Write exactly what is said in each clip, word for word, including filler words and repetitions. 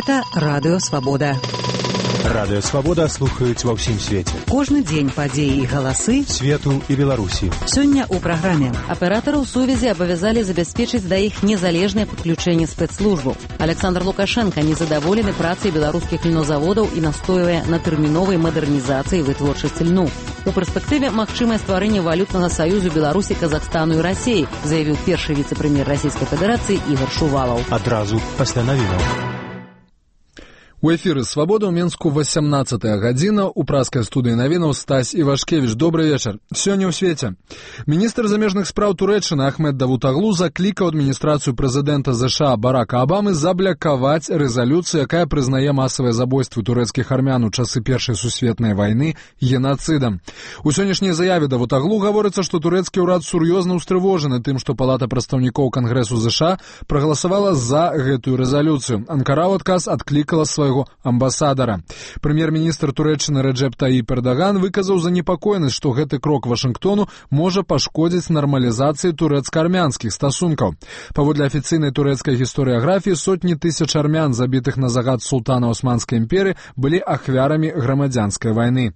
Гэта Радыё Свабода. Радыё Свабода слухаюць ва ўсім свеце. Кожны дзень падзеі і галасы свету і Беларусі. Сёння ў праграме аператараў сувязі абавязалі забяспечыць да іх незалежнае падключэнне спецслужбаў. Александр Лукашенко незадаволены працай беларускіх льнозаводаў і настойвае на тэрміновай мадэрнізацыі вытворчасці льну. У перспектыве магчымае стварэнне валютнага саюзу Беларусі, Казахстану і Расіі, заявіў першы віцэ-прэм'ер Расійскай Федэрацыі Ігор Шувалаў. Адразу пасля навінаў. У эфіры «Свабода» ў Менску васямнаццатая гадзіна. У праскай студыі навінаў Стась Івашкевіч. Добры вечар. Сёння ў свеце. Міністр замежных спраў Турэччыны Ахмед Давутаглу заклікаў адміністрацыю прэзідэнта ЗША Барака Абамы заблякаваць рэзалюцыю, якая прызнае масавыя забойствы турэцкіх армян у часы Першай сусветнай вайны генацыдам. У сённяшняй заяве Давутаглу гаворыцца, што турэцкі ўрад сур'ёзна ўстрывожаны тым, што Палата прадстаўнікоў Кангрэсу ЗША прагаласавала за гэтую рэзалюцыю. Анкара ў адказ адклікала сваю амбасадара. Прэм'ер-міністр Турэччыны Рэджэп Таіп Эрдаган выказаў занепакоенасць, што гэты крок Вашынгтону можа пашкодзіць нармалізацыі турэцка-армянскіх стасункаў. Паводле афіцыйнай турэцкай гістарыяграфіі, сотні тысяч армян, забітых на загад султана Османскай імперыі, былі ахвярамі грамадзянскай вайны.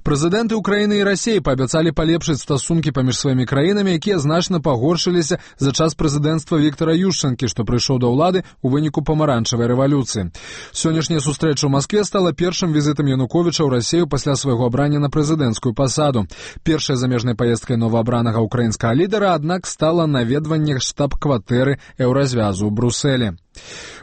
Прэзідэнты Украіны і Расіі паабяцалі палепшыць стасункі паміж сваімі краінамі, якія значна пагоршыліся за час прэзідэнцтва Віктара Ющэнкі, што прыйшоў да ўлады ў выніку памаранчавай рэвалюцыі. Сённяшняя сустрэча ў Маскве стала першым візітам Януковіча ў Расію пасля свайго абрання на прэзідэнцкую пасаду. Першай замежнай паездкай новаабранага ўкраінскага лідара, аднак, стала наведванне штаб-кватэры еўразвязу ў Брусэлі.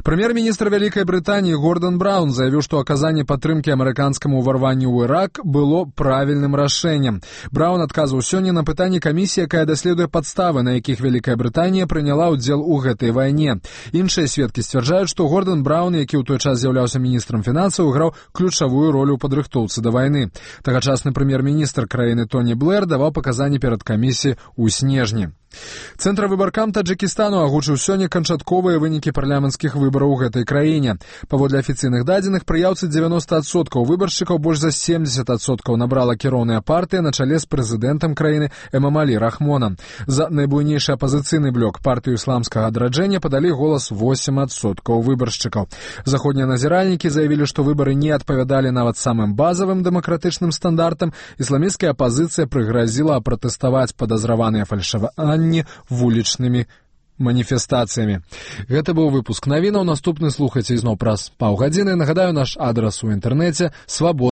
Прэм'ер-міністр Вялікай Брытаніі Гордан Браўн заявіў, што аказанне падтрымкі амерыканскаму ўварванню ў Ірак было правільным рашэннем. Браўн адказваў сёння на пытанні камісіі, якая даследуе падставы, на якіх Вялікая Брытанія прыняла ўдзел у гэтай вайне. Іншыя сведкі сцвярджаюць, што Гордан Браўн, які ў той час з'яўляўся міністрам фінансаў, граў ключавую ролю ў падрыхтоўцы да вайны. Тагачасны прэм'ер-міністр краіны Тоні Блэр даваў паказанні перад камісіяй у снежні. Цэнтравыбаркам Таджыкістану агучыў сёння канчатковыя вынікі парламенцкіх выбараў у гэтай краіне. Паводле афіцыйных дадзеных, прыяўцы дзевяноста адсоткаў выбаршчыкаў, больш за семдзесят адсоткаў набрала кіроўная партыя на чале з прэзідэнтам краіны Эмамалі Рахмонам. За найбуйнейшы апазіцыйны блок, партыю ісламскага адраджэння, падалі голас восем адсоткаў выбаршчыкаў. Заходнія назіральнікі заявілі, што выбары не адпавядалі нават самым базавым дэмакратычным стандартам. Ісламісцкая апазіцыя прыгразіла апратэставаць падазраваныя фальшаванні вулічнымі маніфестацыямі. Гэта быў выпуск навінаў. Наступны слухайце ізноў праз паўгадзіны. Нагадаю, наш адрас у інтэрнэце свабода.